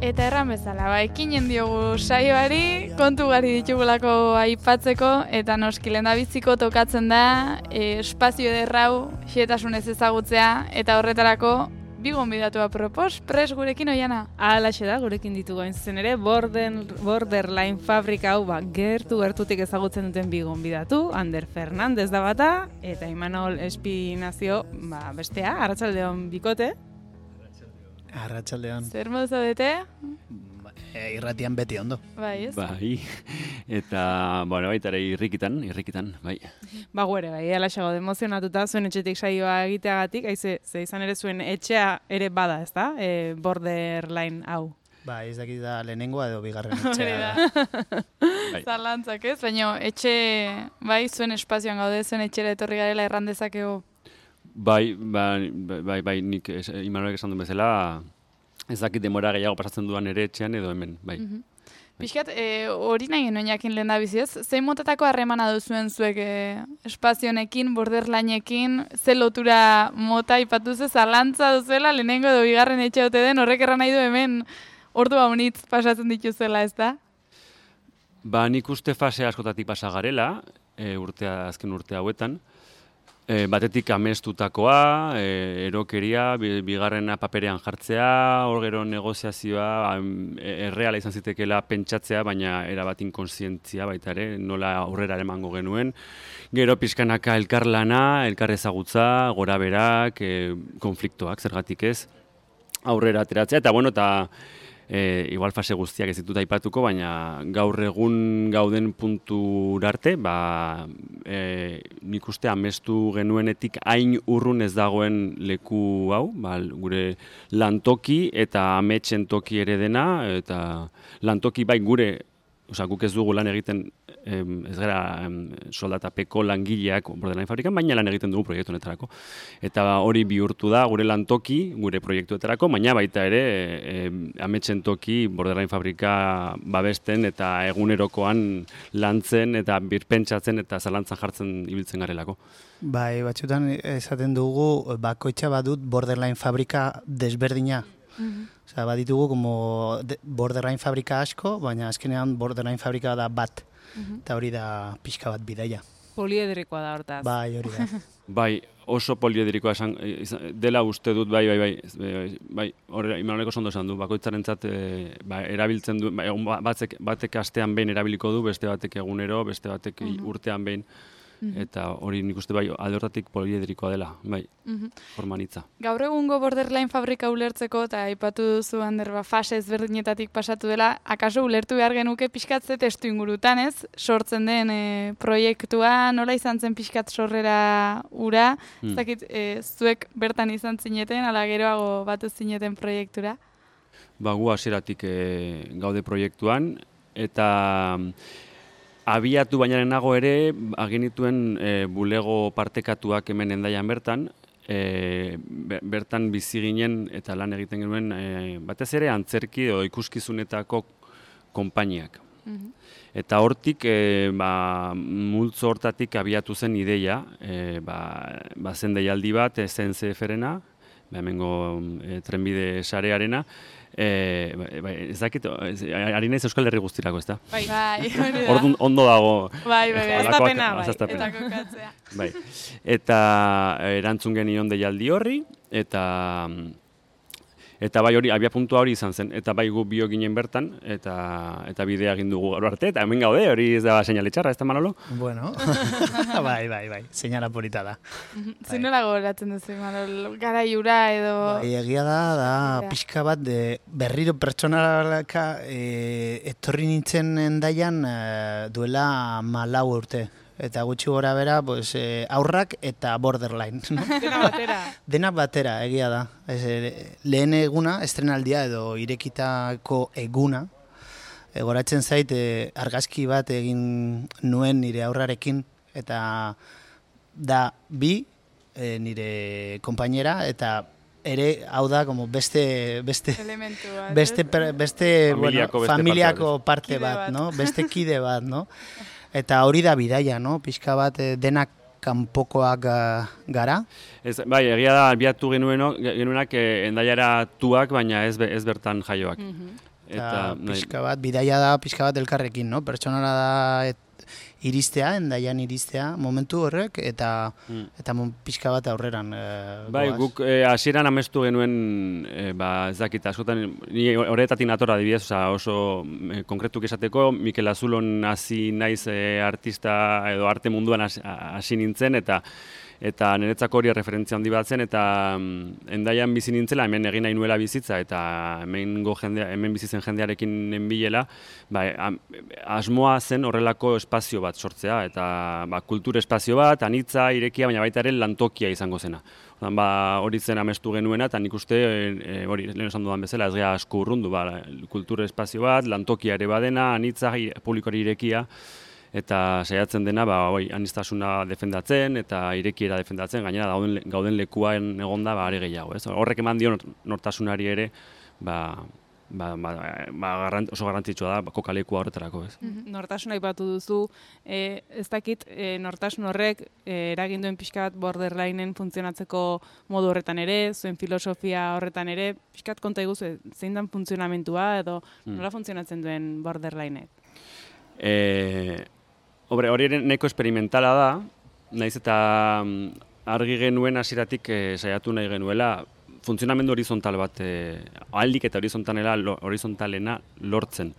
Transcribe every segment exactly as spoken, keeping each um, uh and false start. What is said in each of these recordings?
Eta erran bezala, ba, ekinen diogu saioari, kontu gari ditugulako aipatzeko, eta noski lehendabiziko tokatzen da e, espazio ederrau, xehetasunez ezagutzea, eta horretarako bi gonbidatua propos, pres gurekin oiana. Halaxe da, gurekin ditugu hain zuzen ere, Border, Borderline fabrika hau ba, gertu gertutik ezagutzen duten bi gonbidatu, Ander Fernandez da bata, eta Imanol Espinazio ba, bestea, arratsaldeon bikote. Arratsaldeon. Zer modu zaudete? E, irratian beti ondo. Bai, ez? Bai, eta, bueno, baita ere irrikitan, irrikitan, bai. Ba, guere, bai, alaxe gaude emozionatuta zuen etxetik saioa egiteagatik, haize, ze izan ere zuen etxea ere bada, ez da? E, Borderline hau. Ba, ez dakit da lehenengoa edo bigarren etxea da. Bai. Zalantzak ez, baina etxe, bai, zuen espazioan gaude, zuen etxera etorri garela erran dezakegu. Bai, bai, bai, bai, nik es, Imanolek esan duen bezala, ez dakit demora gehiago pasatzen duan ere etxean edo hemen, bai. Mm -hmm. Piskat, e, hori nahi genuen jakin lehen da biziz, zein motatako harremana duzuen zuek e, espazionekin, borderlineekin, ze lotura mota ipatu ze zalantza duzuela, lehenengo edo bigarren etxe ote den, horrek erran nahi du hemen ordu haunitz pasatzen dituzela, ez da? Ba, nik uste fase askotatik pasa garela, e, urtea, azken urte hauetan, E, batetik amestutakoa, e, erokeria, bigarrena paperean jartzea, hor gero negoziazioa, erreala izan zitekeela pentsatzea, baina erabat inkonsientzia baita ere, nola aurrera emango genuen. Gero pixkanaka elkarlana, elkar ezagutza, gora berak, e, konfliktoak, zergatik ez, aurrera ateratzea, eta bueno, eta E, igual fase guztiak ez ditut aipatuko, baina gaur egun gauden puntura arte, ba, e, nik uste amestu genuenetik hain urrun ez dagoen leku hau, ba, gure lantoki eta ametsen toki ere dena, eta lantoki bai gure, osea, guk ez dugu lan egiten, em, ez gara em, soldatapeko langileak Borderline fabrikan, baina lan egiten dugu proiektu honetarako. Eta hori bihurtu da gure lantoki, gure proiektuetarako, baina baita ere em, ametsen toki Borderline fabrika babesten eta egunerokoan lantzen eta birpentsatzen eta zalantzan jartzen ibiltzen garelako. Bai, batzutan esaten dugu bakoitza badut Borderline fabrika desberdina. Mm-hmm. Osea, baditugu como Borderline fabrika asko, baina azkenean Borderline fabrika da bat. Eta hori da pixka bat bidaia. Poliedrikoa da hortaz. Bai, hori da. Bai, oso poliedrikoa esan, dela uste dut, bai, bai, bai, bai, bai, hori Imanoleko ondo esan du, bakoitzarentzat e, ba, erabiltzen du, ba, batek, batek astean behin erabiliko du, beste batek egunero, beste batek uh-huh. urtean behin, uh-huh. eta hori nik uste bai, alde hortatik poliedrikoa dela, bai, uh-huh. formanitza. Gaur egungo Borderline fabrika ulertzeko, eta aipatu duzu Ander, ba, fase ezberdinetatik pasatu dela, akaso ulertu behar genuke pixkatze testu ingurutan, ez? Sortzen den e, proiektua, nola izan zen pixkat sorrera ura, hmm. ez dakit, e, zuek bertan izan zineten, ala geroago batu zineten proiektura? Ba, gu hasieratik e, gaude proiektuan, eta abiatu baina nago ere, agenituen e, bulego partekatuak hemen Hendaian bertan, e, bertan bizi ginen eta lan egiten genuen e, batez ere antzerki edo ikuskizunetako konpainiak. Mm-hmm. Eta hortik, e, ba, multzo hortatik abiatu zen ideia, e, ba, ba zen deialdi bat, S N C F-rena, ba, hemengo e, trenbide sarearena, Eh, bai, ez dakit, ari naiz Euskal Herri guztirako, ez da? Bai, bai, hori da. Orduan ondo dago. Bai, bai, bai, aztapena, bai, eta kokatzea. Bai, eta erantzun genion deialdi horri, eta eta bai hori, abia puntua hori izan zen, eta bai gu bio ginen bertan, eta eta bidea egin dugu gaur arte, eta hemen gaude, hori ez da seinale txarra, ez da Manolo? Bueno, bai, bai, bai, seinala polita da. Zinela gogoratzen duzu, Manol, garaiura edo... Bai, egia da, da pixka bat, de, berriro pertsonalaka e, etorri nintzen Hendaian e, duela malau urte. Eta gutxi gora bera, pues, eh, aurrak eta Borderline. No? Dena batera. Dena batera, egia da. Ez, lehen eguna, estrenaldia edo irekitako eguna, egoratzen zait, eh, argazki bat egin nuen nire aurrarekin, eta da bi, eh, nire konpainera, eta ere, hau da, como beste, beste, elementua, beste, per, beste, familiako, bueno, beste familiako parte, parte bat, bat, no? Beste kide bat, no? Eta hori da bidaia, no? Pixka bat denak kanpokoak gara. Ez, bai, egia da, abiatu genueno, genuenak eh, Hendaiara tuak, baina ez, ez bertan jaioak. Mm-hmm. Eta pixka bat, bidaia da pixka bat elkarrekin, no? Pertsonala da et, iristea, endaian iristea, momentu horrek, eta mm. eta pixka bat aurreran e, bai, goaz. Guk hasieran e, amestu genuen, e, ba, ez dakit, askotan, ni horretatik natora adibidez, oza, oso e, konkretuk esateko, Mikel Azulon hasi naiz e, artista edo arte munduan hasi nintzen, eta eta niretzako hori referentzia handi bat zen, eta um, endaian bizi nintzela, hemen egin nahi nuela bizitza, eta hemen, go jendea, hemen bizitzen jendearekin nenbilela, ba, asmoa zen horrelako espazio bat sortzea, eta ba, kultur espazio bat, anitza, irekia, baina baita ere lantokia izango zena. Ordan, ba, hori zen amestu genuena, eta nik uste, e, hori, lehen esan dudan bezala, ez gara asko urrundu, ba, kultur espazio bat, lantokia ere badena, anitza, publikoari irekia, eta saiatzen dena, ba, oi, aniztasuna defendatzen eta irekiera defendatzen, gainera gauden, gauden lekuan egonda ba, are gehiago. Ez? Horrek eman dio nortasunari ere ba, ba, ba, ba, garrant, oso garrantzitsua da kokalekua horretarako. Ez? Mm-hmm. Nortasuna aipatu duzu, e, ez dakit e, nortasun horrek e, eragin duen pixka bat borderlineen funtzionatzeko modu horretan ere, zuen filosofia horretan ere, pixka bat konta iguzu, zein dan funtzionamentua edo mm. nola funtzionatzen duen borderlinek? E, Hori ere nahiko esperimentala da, naiz eta argi genuen hasieratik e, saiatu nahi genuela funtzionamendu horizontal bat, e, aldik eta horizontalena, horizontalena lortzen.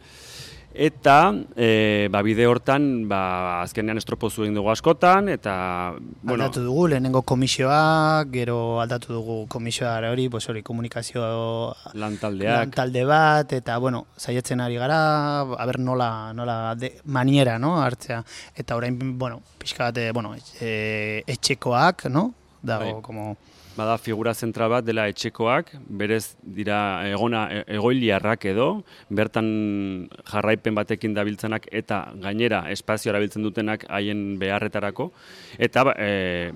Eta e, ba, bide hortan ba, azkenean estropozu egin dugu askotan, eta... Bueno, aldatu dugu, lehenengo komisioa, gero aldatu dugu komisioa hori, pues hori komunikazio... Lantaldeak. Lantalde bat, eta, bueno, saiatzen ari gara, aber nola, nola de, maniera, no, hartzea. Eta orain, bueno, pixka bat, bueno, e, etxekoak, no, dago, bai. Como... Bada figura zentral bat dela etxekoak, berez dira egona egoiliarrak edo, bertan jarraipen batekin dabiltzenak eta gainera espazio erabiltzen dutenak haien beharretarako, eta e,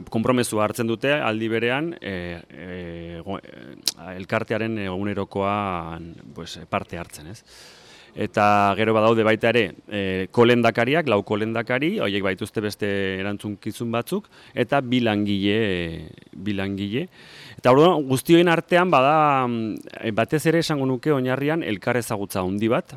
konpromezu hartzen dute aldi berean e, e, go, e, elkartearen egunerokoan pues, parte hartzen, ez? Eta gero badaude baita ere e, kolendakariak, lau kolendakari, horiek baituzte beste erantzunkizun batzuk, eta bi langile, bi langile. Eta orduan guztioen artean bada batez ere esango nuke oinarrian elkar ezagutza handi bat.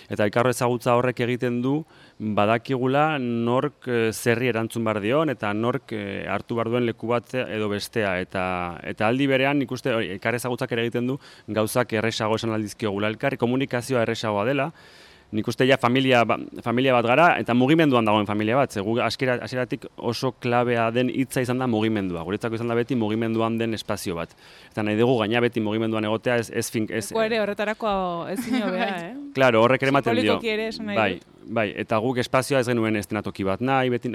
Eta elkar ezagutza horrek egiten du badakigula nork zerri erantzun behar dion eta nork hartu behar duen leku bat edo bestea. Eta, eta aldi berean nik uste elkar ezagutzak ere egiten du gauzak erresago esan aldizkiogula elkar, komunikazioa erresagoa dela. Nik uste ja familia, familia bat gara eta mugimenduan dagoen familia bat. Zegu hasieratik oso klabea den hitza izan da mugimendua. Guretzako izan da beti mugimenduan den espazio bat. Eta nahi dugu gaina beti mugimenduan egotea ez ez fink ez. Eko ere horretarako ezin hobea, eh? Claro, horrek ere ematen dio. Simbolikoki ere esan nahi bai, bai, eta guk espazioa ez genuen estenatoki bat nahi, beti,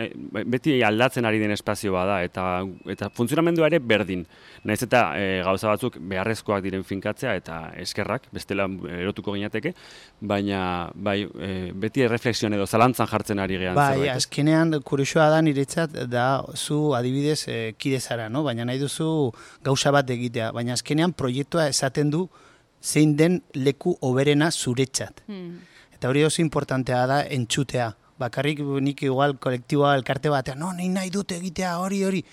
beti aldatzen ari den espazio bada eta eta funtzionamendua ere berdin. Naiz eta e, gauza batzuk beharrezkoak diren finkatzea eta eskerrak, bestela erotuko ginateke, baina bai, e, beti erreflexioan edo zalantzan jartzen ari gehan. Bai, zerbait. Azkenean kuriosoa da niretzat da zu adibidez e, kide zara, no? Baina nahi duzu gauza bat egitea, baina azkenean proiektua esaten du zein den leku hoberena zuretzat. Hmm. Eta hori oso importantea da entzutea. Bakarrik nik igual kolektiboa elkarte batean, no, nahi nahi dute egitea hori hori.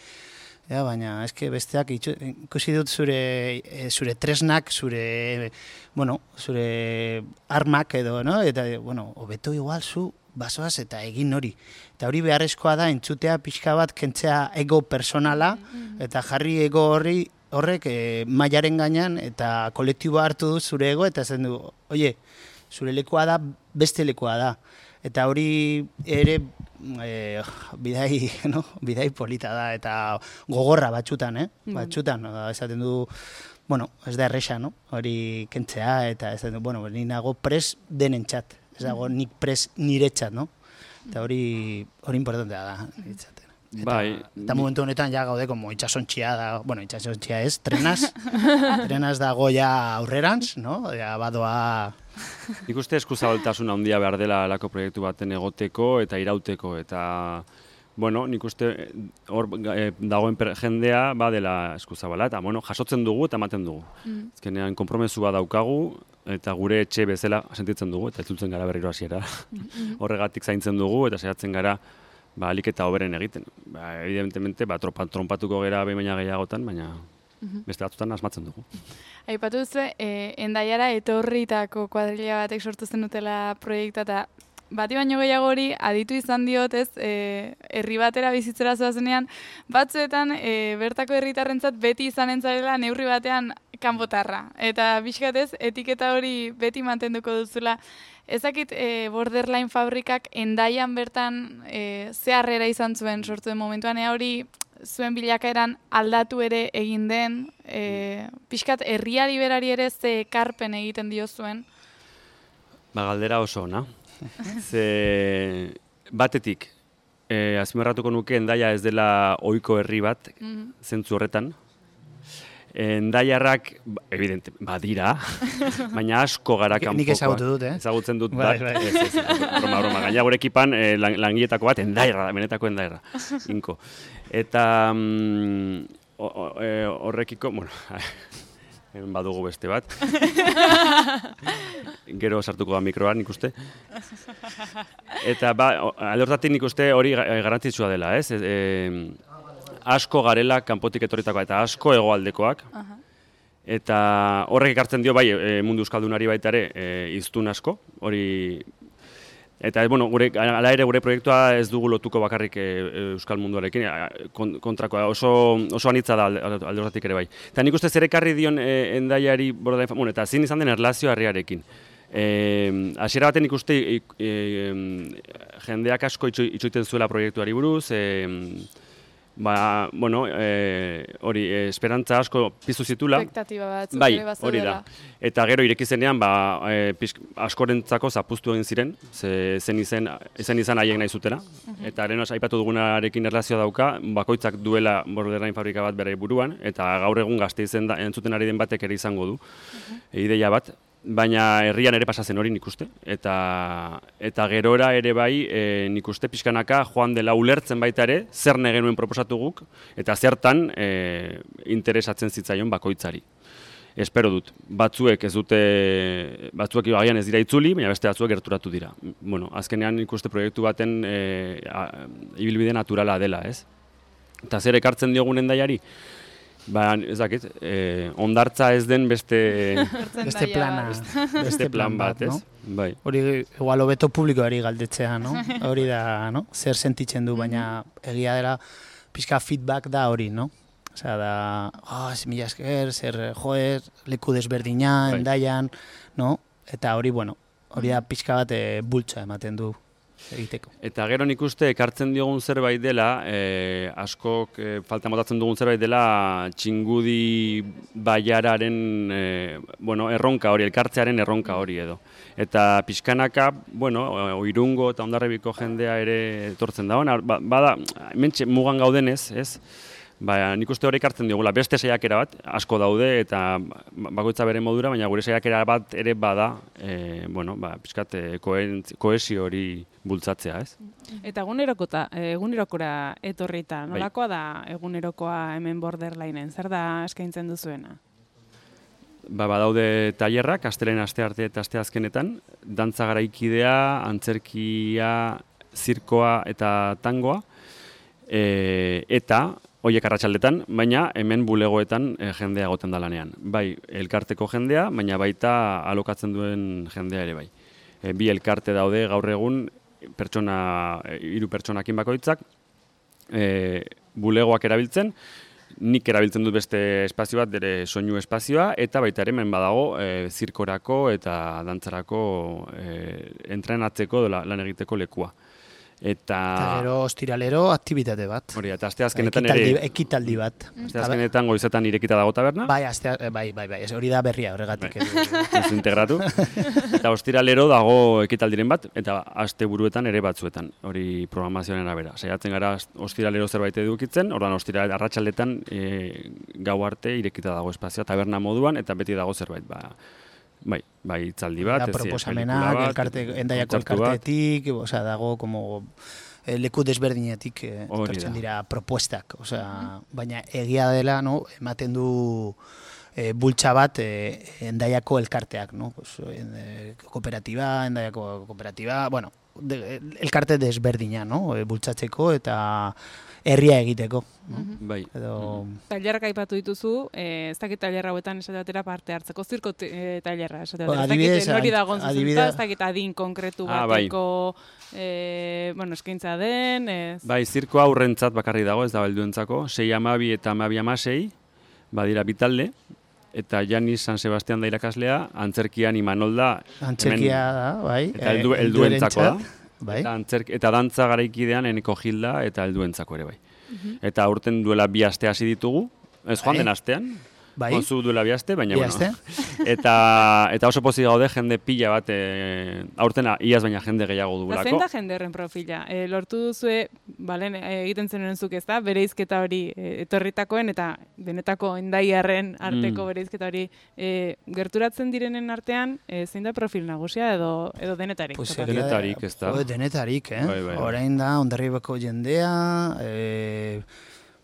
Ja, baina eske besteak ikusi dut zure zure tresnak, zure bueno, zure armak edo, no? Eta bueno, hobeto igual zu basoaz eta egin hori. Eta hori beharrezkoa da entzutea pixka bat kentzea ego personala eta jarri ego horri horrek e, mailaren gainean eta kolektiboa hartu du zure ego eta esan du, oie, zure lekua da, beste lekua da. Eta hori ere e, bidai, no? Bidai polita da eta gogorra batxutan, eh? Batxutan, esaten du, bueno, ez da erresa, no? Hori kentzea eta esaten du, bueno, ni nago pres denentzat, ez dago nik pres niretzat, no? Eta hori hori importantea da, niretzat. Eta, bai, eta momentu honetan ja gaude como itxasontxia da, bueno, itxasontxia ez, trenaz, trenaz dago ja aurrerantz, no? Ja badoa... Nik uste eskuzabaltasuna handia behar dela alako proiektu baten egoteko eta irauteko, eta, bueno, nik uste hor e, dagoen per, jendea badela eskuzabala, eta, bueno, jasotzen dugu eta ematen dugu. Mm. Ezkenean, konpromesua daukagu, eta gure etxe bezala sentitzen dugu, eta ez gara berriro hasiera. Mm-hmm. Horregatik zaintzen dugu, eta saiatzen gara, ba, alik eta hoberen egiten. Ba, evidentemente, ba, trompatuko gera behin baina gehiagotan, baina Beste batzutan asmatzen dugu. Aipatu duzu, e, Endaiara etorritako kuadrilla batek sortu zen dutela proiektua, eta bati baino gehiago hori aditu izan diot, ez, e, herri batera bizitzera zoazenean, batzuetan e, bertako herritarrentzat beti izanen zarela neurri batean kanpotarra. Eta bizkatez, etiketa hori beti mantenduko duzula. Ezakit e, Borderline fabrikak Endaian bertan e, ze harrera izan zuen sortu den momentuan, ea hori zuen bilakaeran aldatu ere egin den, e, pixkat herriari berari ere ze ekarpen egiten dio zuen. Ba, galdera oso ona. Ze batetik, eh, azpimarratuko nuke Endaia ez dela ohiko herri bat, mm-hmm. zentzu horretan. Endaiarrak, evidente, badira, baina asko gara kanpokoak. Nik ezagutu dut, eh? Ezagutzen dut bai, bat, bai. ez, ez, ez, broma, broma. Gaina gure ekipan eh, lang, langiletako bat Endaiarra da, benetako Endaiarra, inko. Eta mm, horrekiko, bueno, hemen badugu beste bat. Gero sartuko da mikroan, nik uste. Eta ba, alde hortatik nik uste hori garrantzitsua dela, ez? E, asko garela kanpotik etorritakoa eta asko hegoaldekoak. Uh-huh. Eta horrek ekartzen dio bai mundu euskaldunari baita ere e, hiztun asko, hori. Eta bueno, gure hala ere gure proiektua ez dugu lotuko bakarrik e, euskal munduarekin, kontrakoa oso oso anitza da alde hortatik ere bai. Eta nik uste zer ekarri dion e, Endaiari Borderline, bueno, eta zin izan den erlazio harriarekin. Eh, hasiera baten ikuste e, e, jendeak asko itxo, itxoiten zuela proiektuari buruz, e, ba, bueno, e, hori, e, esperantza asko piztu zitula. Espektatiba batzuk bai, ere bazeudela. Hori da. Eta gero ireki zenean, ba, e, pizk, askorentzako zapuztu egin ziren, ze, zen izen, zen izan haiek nahi zutena. Uh-huh. Eta haren aipatu dugunarekin erlazioa dauka, bakoitzak duela Borderline fabrika bat bere buruan, eta gaur egun Gasteizen da, entzuten ari den batek ere izango du, uh-huh. ideia bat. Baina herrian ere pasatzen hori nik uste. Eta, eta gerora ere bai e, nik uste pixkanaka joan dela ulertzen baita ere, zer genuen proposatu guk, eta zertan e, interesatzen zitzaion bakoitzari. Espero dut, batzuek ez dute, batzuek agian ez dira itzuli, baina beste batzuek gerturatu dira. Bueno, azkenean nik uste proiektu baten e, a, ibilbide naturala dela, ez? Eta zer ekartzen diogun Endaiari? Ba, ez dakit, eh, ondartza ez den beste beste plana, beste, beste plan bat, ez? No? Bai. Hori igual hobeto publikoari galdetzea, no? Hori da, no? Zer sentitzen du, baina egia dela pixka feedback da hori, no? Osea, da, oh, mila esker, zer joer, leku desberdina, bai. Endaian, no? Eta hori, bueno, hori da pixka bat e, bultza ematen du egiteko. Eta gero nik uste ekartzen diogun zerbait dela, eh, askok eh, falta motatzen dugun zerbait dela txingudi baiararen eh, bueno, erronka hori, elkartzearen erronka hori edo. Eta pixkanaka, bueno, Irungo eta Hondarribiko jendea ere etortzen da hona, ba, bada, mentxe mugan gaudenez, ez? Ba, nik uste hori ekartzen diogula, beste saiakera bat, asko daude eta bakoitza bere modura, baina gure saiakera bat ere bada, e, bueno, ba, pixkat kohesio hori bultzatzea, ez? Eta egunerokota, egunerokora etorrita, nolakoa da egunerokoa hemen Borderlineen, zer da eskaintzen duzuena? Ba, badaude tailerrak, astelehen astearte eta asteazkenetan, dantza garaikidea, antzerkia, zirkoa eta tangoa, e, eta hoiek arratsaldetan, baina hemen bulegoetan e, jendea egoten da lanean. Bai, elkarteko jendea, baina baita alokatzen duen jendea ere bai. E, bi elkarte daude gaur egun, pertsona, hiru pertsonakin bakoitzak, e, bulegoak erabiltzen, nik erabiltzen dut beste espazio bat, dere soinu espazioa, eta baita ere hemen badago e, zirkorako eta dantzarako e, entrenatzeko lan egiteko lekua. Eta, eta gero ostiralero aktibitate bat. Hori, eta asteazkenetan ekitaldi, ere... Ekitaldi bat. Asteazkenetan goizetan irekita dago taberna. Bai, astea, bai, bai, bai, hori da berria horregatik. Bai. Ez integratu. Eta ostiralero dago ekitaldiren bat, eta aste buruetan ere batzuetan. Hori programazioaren arabera. Saiatzen gara ostiralero zerbait edukitzen, ordan ostiralero arratsaldetan e, gau arte irekita dago espazioa taberna moduan, eta beti dago zerbait, ba... Bai, bai, itzaldi bat, ez proposamenak, elkarte, Endaiako elkartetik, osea, dago como leku desberdinetik etortzen dira propuestak, osea, baina egia dela, no, ematen du e, bultza bat e, Endaiako elkarteak, no, pues, en, e, kooperatiba, Endaiako kooperatiba, bueno, de, elkarte desberdina, no? E, bultzatzeko eta herria egiteko. No? Bai. Edo... Tailerrak aipatu dituzu, eh, ez dakit tailerra hauetan esate batera parte hartzeko, zirko e, tailerra esate batera. Adibidez, ez dakit nori dagoen adibide... zuzentuta, ez dakit adin konkretu Ah, bai. bateko eh, bueno, eskaintza den, ez... Bai, zirko aurrentzat bakarri dago, ez da helduentzako, sei amabi eta amabi amasei, badira bitalde, eta Janis San Sebastian da irakaslea, antzerkian Imanol da. Antzerkia hemen, da, bai. Eta heldu, helduentzako da. Bai. Eta, antzerk, eta dantza garaikidean Eneko Gilda eta helduentzako ere bai. Eta aurten duela bi aste hasi ditugu, ez joan Bai. den astean, Bai. Onzu duela bi aste, baina Bi bueno. aste. eta, eta oso pozik gaude jende pila bat, e, aurten iaz baina jende gehiago Da, dugulako. zein da jende horren profila? E, lortu duzue, balen, e, egiten zenuen zuk ez da, bereizketa hori e, etorritakoen eta benetako endaiarren arteko Mm. bereizketa hori e, gerturatzen direnen artean, e, zein da profil nagusia edo edo denetarik? Pues topatu? egia da, Denetarik, ez da? jo, denetarik, eh? Bai, bai, bai. Orain da, Hondarribako jendea, eh,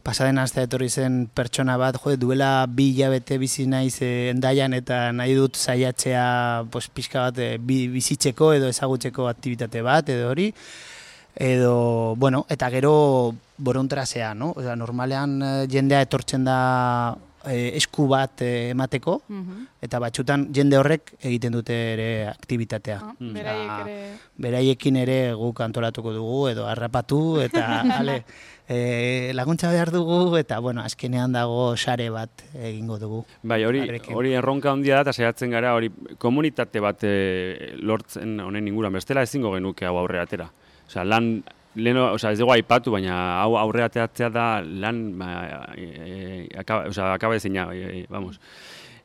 pasaden astea etorri zen pertsona bat, jo, duela bi hilabete bizi naiz eh, Hendaian eta nahi dut saiatzea pues, pixka bat eh, bi, bizitzeko edo ezagutzeko aktibitate bat edo hori. Edo, bueno, eta gero borontrazea, no? Osea, normalean eh, jendea etortzen da eh, esku bat eh, emateko, Mhm. eta batzutan jende horrek egiten dute ere aktibitatea. Ah, Mm. beraiek Osea, ere... Beraiekin ere guk antolatuko dugu edo harrapatu eta ale, e, laguntza behar dugu eta bueno, azkenean dago sare bat egingo dugu. Bai, hori Harekin. hori erronka handia da eta saiatzen gara hori komunitate bat e, lortzen honen inguruan bestela ezingo genuke hau aurrera atera. Osea, lan leno, osea, ez dugu aipatu, baina hau aurrera ateratzea da lan ba, e, e, akaba, osea, akaba ezina, e, e, vamos.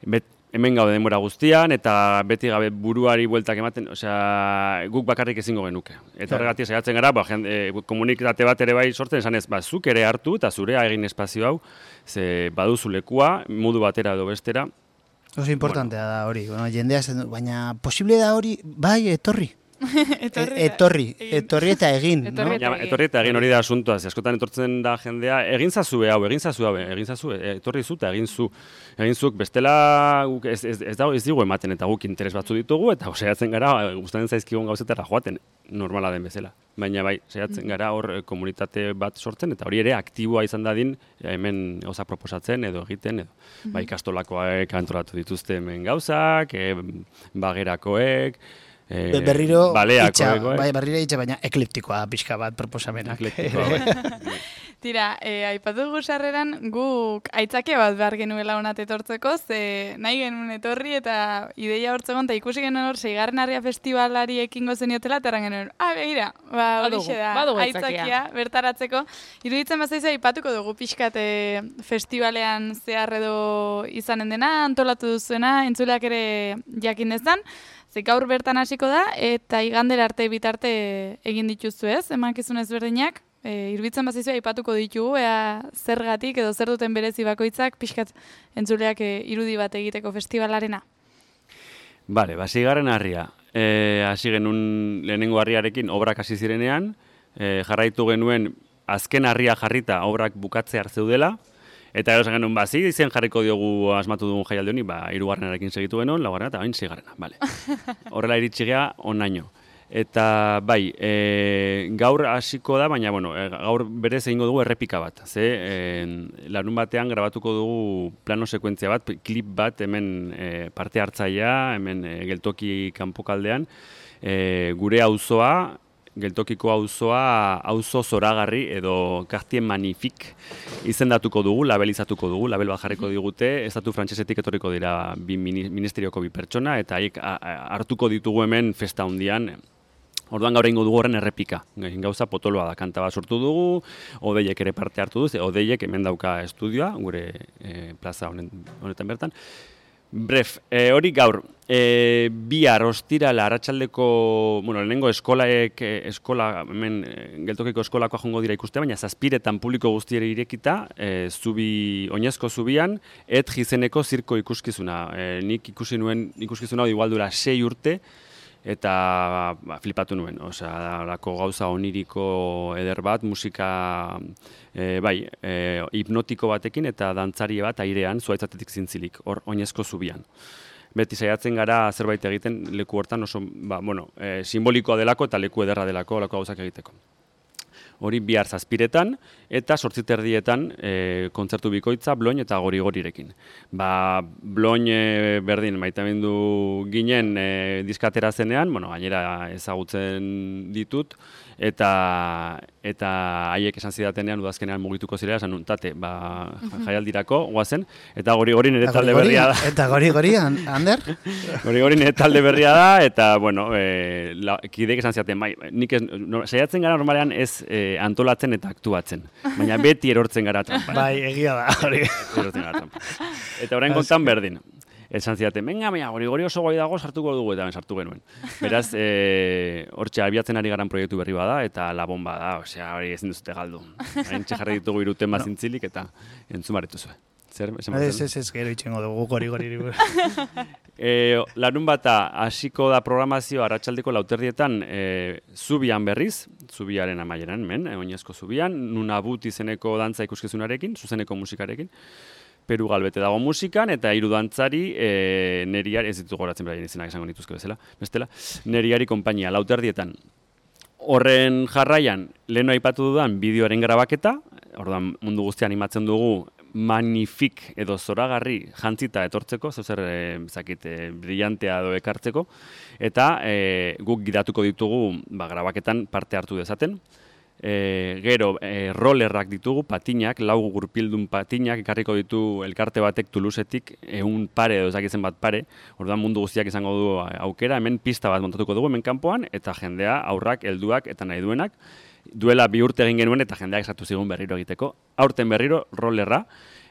Bet, hemen gaude denbora guztian eta beti gabe buruari bueltak ematen, osea, guk bakarrik ezingo genuke. Eta horregatik saiatzen gara, ba, jende, e, komunitate bat ere bai sortzen esanez, ba, zuk ere hartu eta zurea egin espazio hau, ze baduzu lekua, modu batera edo bestera. Oso importantea da hori, bueno, jendea esaten du, baina posible da hori, bai, etorri. Etorri E- eta etorri, egin. etorri eta egin, no? Etorri eta Baina, etorri eta egin hori da asuntoa, ze askotan etortzen da jendea, egin zazue hau, egin zazue hau, egin zazue, etorri zu eta egin zu. Egin zuk, bestela guk ez, ez, ez, dago, ez digu ematen eta guk interes batzu ditugu eta saiatzen gara gustatzen zaizkigun gauzetara joaten, normala den bezala. Baina bai, saiatzen gara hor eh, komunitate bat sortzen eta hori ere aktiboa izan dadin hemen gauza proposatzen edo egiten edo. Bai, ikastolakoak antolatu dituzte hemen gauzak, e, bagerakoek, e, Be- berriro itxa, baleakoek, bai, berriro itxa, baina ekliptikoa pixka bat proposamenak. Eklektikoa, bai. Tira, e, aipatu dugu sarreran guk aitzake bat behar genuela honat etortzeko, ze nahi genuen etorri eta ideia hortzegon, eta ikusi genuen hor, seigarren harria festivalari ekingo zeniotela, eta erran genuen, ah, begira, ba, Badugu, horixe da, badugu aitzakia, aitzakia. bertaratzeko. Iruditzen bazaizu aipatuko dugu pixkat e, festivalean zehar edo izanen dena, antolatu duzuena, entzuleak ere jakin dezan, ze gaur bertan hasiko da, eta igandera arte bitarte egin dituzu ez, emankizun ezberdinak, E, irbitzen bazaizu aipatuko ditugu, ea zergatik edo zer duten berezi bakoitzak pixkat entzuleak e, irudi bat egiteko festivalarena. Bale, ba, seigarren harria. E, hasi genuen lehenengo harriarekin obrak hasi zirenean, e, jarraitu genuen azken harria jarrita obrak bukatze hartzeudela, eta gero esan genuen, ba, zi izen jarriko diogu asmatu dugun jaialdi honi, ba, hirugarrenarekin segitu genuen, laugarrena eta bain seigarrena, bale. Horrela iritsi gea onaino. Eta bai, e, gaur hasiko da, baina bueno, e, gaur berez egingo dugu errepika bat. Ze, e, larun batean grabatuko dugu plano sekuentzia bat, klip bat hemen e, parte hartzailea, hemen e, geltoki kanpokaldean, e, gure auzoa, geltokiko auzoa, auzo zoragarri edo Quartier Magnifique izendatuko dugu, labelizatuko dugu, label bat jarriko digute, estatu frantsesetik etorriko dira bi mini- ministerioko bi pertsona, eta haiek a- a- hartuko ditugu hemen festa hundian. Orduan gaur egingo dugu horren errepika. Gauza potoloa da, kanta bat sortu dugu, Odeiek ere parte hartu duz, Odeiek hemen dauka estudioa, gure e, plaza honen, honetan bertan. Bref, e, hori gaur, e, bihar ostirala arratsaldeko, bueno, lehenengo eskolaek, e, eskola, hemen e, geltokiko eskolakoa jongo dira ikuste, baina zazpiretan publiko guztiere irekita, e, zubi, oinezko zubian, et gizeneko zirko ikuskizuna. E, nik ikusi nuen ikuskizuna hori igual dura sei urte, eta ba, flipatu nuen, osea, lako gauza oniriko eder bat, musika e, bai, e, hipnotiko batekin eta dantzari bat airean, zuaitzatetik zintzilik, hor oinezko zubian. beti saiatzen gara zerbait egiten leku hortan oso, ba, bueno, e, simbolikoa delako eta leku ederra delako, olako gauzak egiteko. Hori bihar zazpiretan, eta sortziterdietan e, kontzertu bikoitza Bloin eta Gori-Gorirekin. Ba, Bloin e, berdin maitamendu ginen e, diskatera zenean, bueno, gainera ezagutzen ditut, eta eta haiek esan zidatenean udazkenean mugituko zirela, esan nuntate, ba, jaialdirako, guazen, eta Gori-Gori nire talde berria da. Eta Gori-Gori, Ander? Gori-Gori nire talde berria da, eta, bueno, e, la, kideek esan zidaten, bai, nik ez, no, saiatzen gara normalean ez e, antolatzen eta aktuatzen, baina beti erortzen gara trampa. Bai, egia da, hori. Erortzen gara trampa. Eta orain kontan berdin. Esan zidaten, venga, baina, Gori-Gori oso gai dago sartuko dugu, eta ben sartu genuen. Beraz, e, hortxe, abiatzen ari garan proiektu berri bada, eta la bomba da, osea, hori ezin duzute galdu. Hain txejarri ditugu iruten bazintzilik, eta entzun baretu zuen. Zer, esan Ez, ez, ez, gero itxengo dugu Gori-Gori. e, larun bata, hasiko da programazio arratsaldeko lauterdietan e, Zubian berriz, Zubiaren amaieran, men, oinezko Zubian, Nunabut izeneko dantza ikuskizunarekin, zuzeneko musikarekin, Peru Galbete dago musikan, eta hiru dantzari e, neriari, ez ditu goratzen beraien izenak esango nituzke bezala, bestela, neriari konpainia, lauterdietan. Horren jarraian, leheno aipatu dudan bideoaren grabaketa, orduan mundu guztia animatzen dugu, magnifik edo zoragarri jantzita etortzeko, zeuzer, e, zakit, e, brillantea edo ekartzeko, eta e, guk gidatuko ditugu ba, grabaketan parte hartu dezaten. E, gero, e, rollerrak ditugu, patinak, lau gurpildun patinak, ekarriko ditu elkarte batek Tulusetik, ehun pare edo ezakitzen bat pare, orduan mundu guztiak izango du aukera, hemen pista bat montatuko dugu hemen kanpoan, eta jendea, aurrak, helduak eta nahi duenak, duela bi urte egin genuen eta jendeak esatu zigun berriro egiteko, aurten berriro rollerra,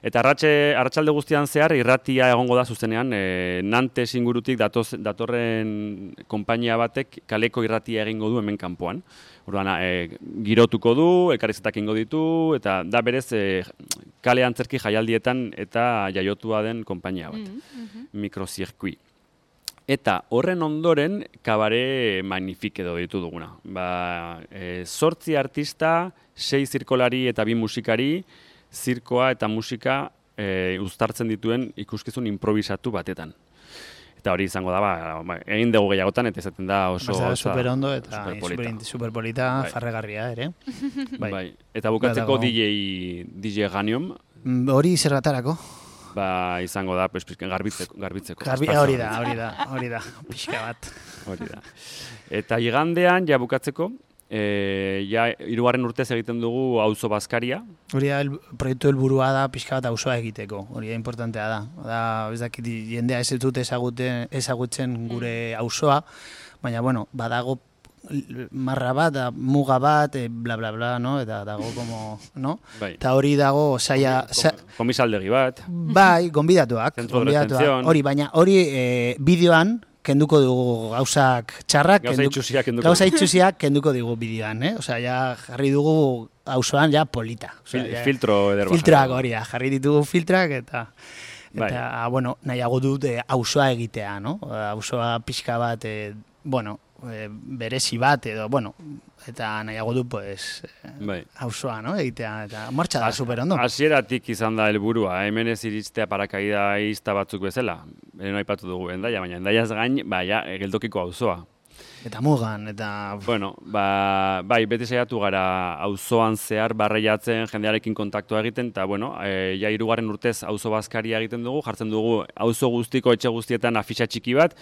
eta arratsalde guztian zehar irratia egongo da zuzenean, e, Nantes ingurutik datoz, datorren konpainia batek kaleko irratia egingo du hemen kanpoan. Orduan, e, girotuko du, elkarrizketak egingo ditu, eta da berez e, kale antzerki jaialdietan eta jaiotua den konpainia bat, mm -hmm. mikrozirkui. Eta horren ondoren kabare magnifik edo ditu duguna. Ba, e, zortzi artista, sei zirkolari eta bi musikari, zirkoa eta musika e, uztartzen dituen ikuskizun improvisatu batetan. Eta hori izango da, ba, egin dugu gehiagotan, eta izaten da oso... Basta, super ondo eta super polita, bai. Farregarria ere. Bai. Bai. Eta bukatzeko D J, D J Ganium. Hori zergatarako? Ba, izango da, pues, garbitzeko. garbitzeko. Garbi, hori da, hori da, hori da, pixka bat. Hori da. Eta igandean, ja bukatzeko, E, ja, hirugarren urtez egiten dugu auzo bazkaria. Hori da, el, proiektu helburua da pixka bat auzoa egiteko, hori da importantea da. Da, ez dakit, jendea ez dut ezagutzen gure auzoa, baina, bueno, badago marra bat, da, muga bat, e, bla, bla, bla, no? Eta dago, como, no? Bai. Eta hori dago, saia... Sa... Komisaldegi bat. Bai, gonbidatuak. gonbidatuak. Hori, baina hori e, bideoan, kenduko dugu gauzak txarrak, gauza itxusiak kenduko, gauza itxusiak kenduko dugu bideoan, eh? Osea, ja jarri dugu auzoan ja polita. Osea, Fil, ja, filtro ederba. Filtroak hori da, jarri ditugu filtrak eta eta bai. Bueno, nahiago dut eh, auzoa egitea, no? Auzoa pixka bat, eh, bueno, eh, berezi bat edo, bueno, eta nahiago du, pues, bai. auzoa, no? Egitea, eta martxa da super ondo. Hasieratik izan da helburua, hemen ez iristea parakaida izta batzuk bezala. Eno aipatu dugu Hendaia, baina Hendaiaz gain, baina, geldokiko auzoa. Eta mugan, eta... Bueno, ba, bai, beti saiatu gara auzoan zehar barreiatzen, jendearekin kontaktua egiten, eta, bueno, e, ja hirugarren urtez auzo bazkaria egiten dugu, jartzen dugu auzo guztiko etxe guztietan afixa txiki bat,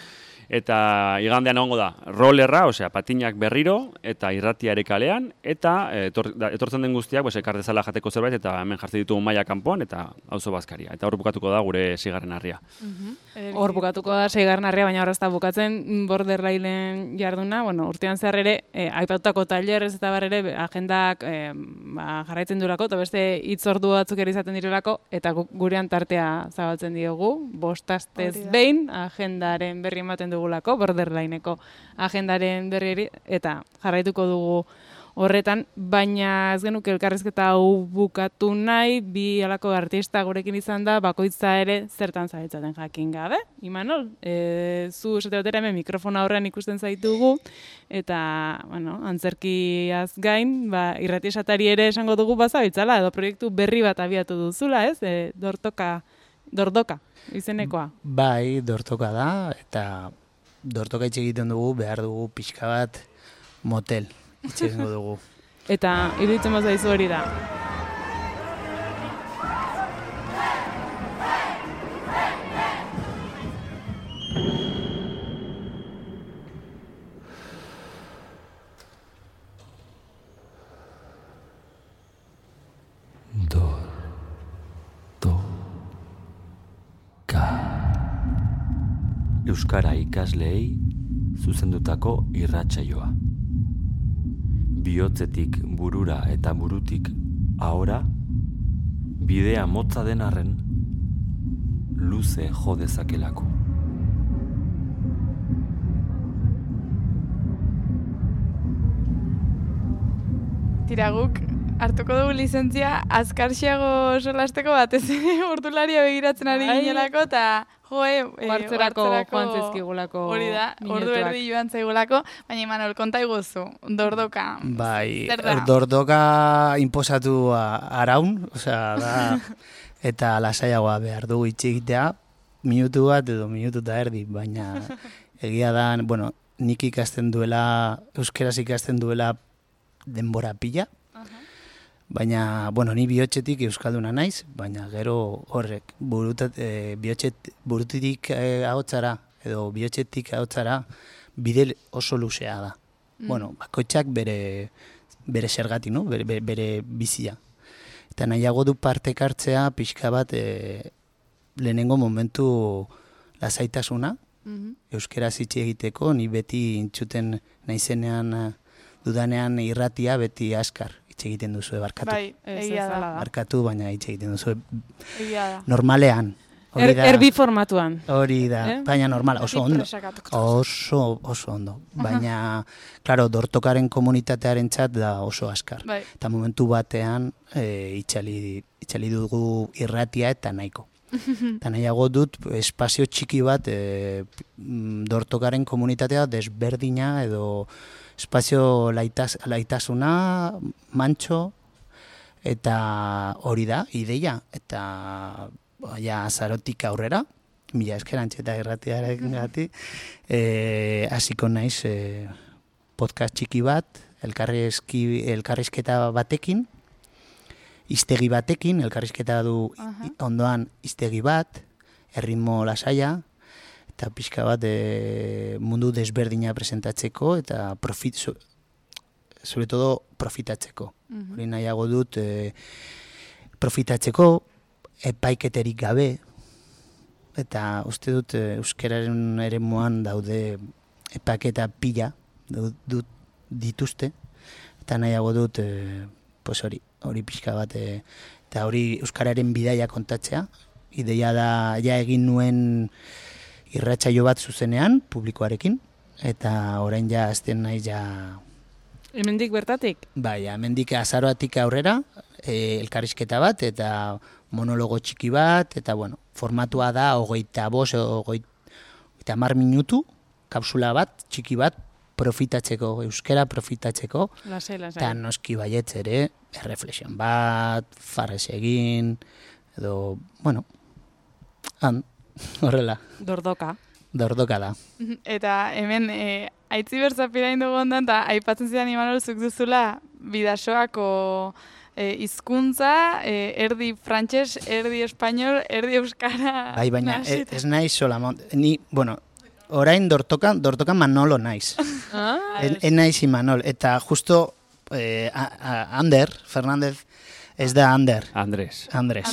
eta igandean egongo da rollerra, osea, patinak berriro, eta irratia ere kalean, eta etor, da, etortzen den guztiak, pues, ekar dezala jateko zerbait, eta hemen jartzen ditugu maila kanpoan, eta auzo bazkaria. Eta hor bukatuko da gure seigarren harria. Mm-hmm. Hor bukatuko da seigarren harria, baina hor ez da bukatzen Borderline jarduna, bueno, urtean zehar ere, eh, aipatutako tailerrez eta bar ere, agendak eh, ba, jarraitzen durako, eta beste hitzordu batzuk ere izaten direlako, eta gurean tartea zabaltzen diogu, bostastez behin, agendaren berri ematen dugulako, Borderlineko agendaren berri, eta jarraituko dugu horretan, baina ez genuke elkarrizketa hau bukatu nahi, bi alako artista gurekin izan da, bakoitza ere zertan zaitzaten jakin gabe. Imanol, e, zu esate batera hemen mikrofona horrean ikusten zaitugu, eta, bueno, antzerkiaz gain, ba, irrati esatari ere esango dugu bazabitzala, edo proiektu berri bat abiatu duzula, ez? E, dortoka Dordoka, izenekoa. Bai, dortoka da, eta dortoka hitz egiten dugu, behar dugu pixka bat motel, hitz egingo dugu. Eta iruditzen bazaizu hori da. Euskara ikasleei zuzendutako irratsaioa. Bihotzetik burura eta burutik ahora, bidea motza den arren, luze jo dezakelako. Tira, guk hartuko dugu lizentzia azkarxiago solasteko batez ere ordularia begiratzen ari ginelako, eta joe, e, Bartzerako joan zezkigulako hori da, ordu erdi joan zaigulako, baina Imanol, konta iguzu, dordoka. Bai, zer da? dordoka inposatu araun, osea, da, eta lasaiagoa behar dugu itxigitea, minutu bat edo minutu eta erdi, baina egia da, bueno, nik ikasten duela, euskeraz ikasten duela denbora pila, baina, bueno, ni bihotzetik euskalduna naiz, baina gero horrek, burutat, e, bihotxet, burutik e, ahotzara, edo bihotzetik ahotzara, bide oso luzea da. Mm. Bueno, bakoitzak bere, bere zergati, no? bere, bere, bere bizia. Eta nahiago du partek hartzea, pixka bat, e, lehenengo momentu lasaitasuna, mm-hmm. Euskeraz hitz egiteko, ni beti intzuten naizenean, dudanean irratia beti askar. Hitz egiten duzu, barkatu. Bai, egia da. Barkatu, baina hitz egiten duzu. Egia da. Normalean. Er, erbi formatuan. Hori da, eh? Baina normal, oso ondo. Oso, oso ondo. Baina, klaro, dortokaren komunitatearen txat da oso askar. Bai. Eta momentu batean, e, itxali, itxali dugu irratia eta nahiko. Eta nahiago dut, espazio txiki bat, e, dortokaren komunitatea desberdina edo espazio laitas, laitasuna, mantxo, eta hori da, ideia, eta ja, azarotik aurrera, mila eskerantxe eta irratiaren gati, hasiko e, naiz e, podcast txiki bat, elkarrizki, elkarrizketa batekin, iztegi batekin, elkarrizketa du uh-huh. ondoan iztegi bat, erritmo lasaia, eta pixka bat e, mundu desberdina presentatzeko eta profit, so, sobre todo profitatzeko. Mm-hmm. Hori nahiago dut e, profitatzeko, epaiketerik gabe, eta uste dut e, euskararen eremuan daude epaiketa pila dut, dut dituzte, eta nahiago dut e, pues hori, hori pixka bat, e, eta hori euskararen bidaia kontatzea, ideia da ja egin nuen irratsaio bat zuzenean, publikoarekin, eta orain ja azten nahi ja... Hemendik bertatik? Bai, hemendik azaroatik aurrera, e, elkarrizketa bat, eta monologo txiki bat, eta bueno, formatua da, hogeita bos, hogeita hamar minutu, kapsula bat, txiki bat, profitatzeko, euskera profitatzeko, lasai, lasai. Eta noski baietz ere, erreflexion bat, farrez egin, edo, bueno, han, horrela. Dordoka. Dordoka da. Eta hemen, e, aitzi berzapira indugu ondan, eta aipatzen zidan Imanol zuk duzula bidasoako e, hizkuntza, e, erdi frantses, erdi espainol, erdi euskara... Bai, baina ez, ez naiz sola, ni, bueno, orain dortokan, dortokan Manolo naiz. Ah, en, en naiz Imanol, eta justo eh, a, a Ander, Fernández, ez da Ander. Andrés. Andrés.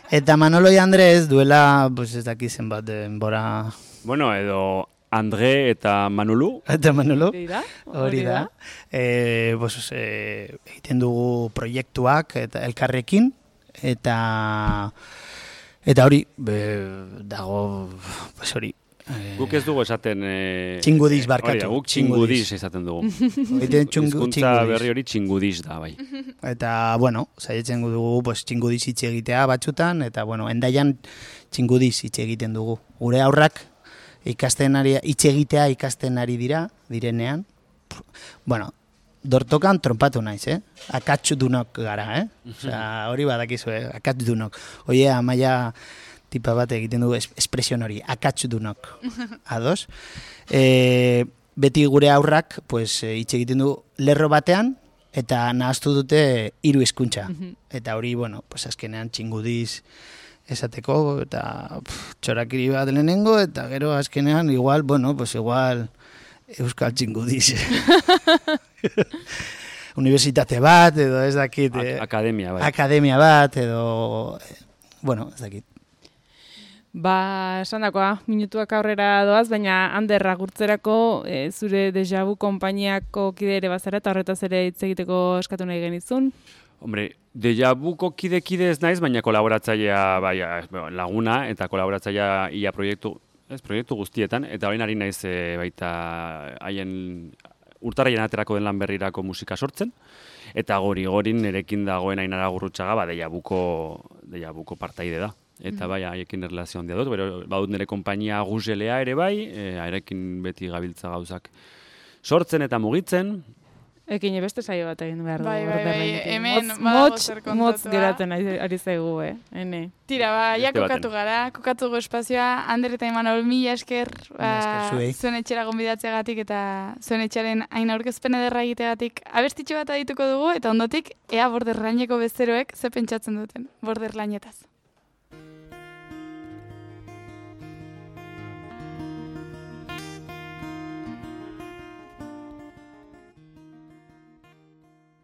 Eta Manolo y Andrés duela, pues ez daki zenbat denbora... Bueno, edo André eta Manulu. Eta Manolo. Hori da. Hori da. E, pues, e, egiten dugu proiektuak eta elkarrekin, eta eta hori, be, dago, pues hori, Guk ez dugu esaten... E, txingudiz barkatu. Hori da, guk txingudiz esaten dugu. Hizkuntza berri hori txingudiz da, bai. Eta, bueno, saietzen dugu pues, txingudiz hitz egitea batzutan, eta, bueno, endaian txingudiz hitz egiten dugu. Gure aurrak ikasten ari, hitz egitea ikasten ari dira, direnean. Bueno, dortokan trompatu naiz, eh? Akatxudunok gara, eh? Osea, hori badakizu, eh? Akatxudunok. Oie, amaia tipa bat egiten du espresion hori, akatxudunok. Ados? E, beti gure aurrak, pues, hitz egiten du lerro batean, eta nahaztu dute hiru hizkuntza. Eta hori, bueno, pues, azkenean txingudiz esateko, eta pff, txorakiri bat lehenengo, eta gero azkenean, igual, bueno, pues igual... Euskal txingudiz. Universitate bat, edo ez dakit. Eh, akademia bat. Akademia bat, edo... Bueno, ez dakit. Ba, esan dakoa, minutuak aurrera doaz, baina Ander agurtzerako e, zure Deja Vu konpainiako kide ere bazara, eta horretaz ere hitz egiteko eskatu nahi genizun. Hombre, Deja Vuko kide-kide ez naiz, baina kolaboratzailea bai, laguna, eta kolaboratzailea ia proiektu, ez, proiektu guztietan, eta orain ari naiz e, baita haien urtarrien aterako den lan berrirako musika sortzen, eta gori-gorin nerekin dagoen Ainara Gurrutxaga, ba, Deja Vuko, Deja Vuko partaide da. Eta bai, haiekin erlazio handia dut, bero, badut nire konpainia Guselea ere bai, e, haiekin beti gabiltza gauzak sortzen eta mugitzen. Ekin beste saio bat egin behar dugu. Bai, bai, bai, hemen motz, motz geratzen ari zaigu, eh? Hene. Tira, ba, ja kokatu gara, kokatu dugu espazioa, Ander eta Imanol, mila esker, ba, zuen etxera gonbidatzeagatik eta zuen etxaren hain aurkezpen ederra egiteagatik abestitxo bat adituko dugu, eta ondotik, ea Borderlaneko bezeroek ze pentsatzen duten, Borderlanetaz.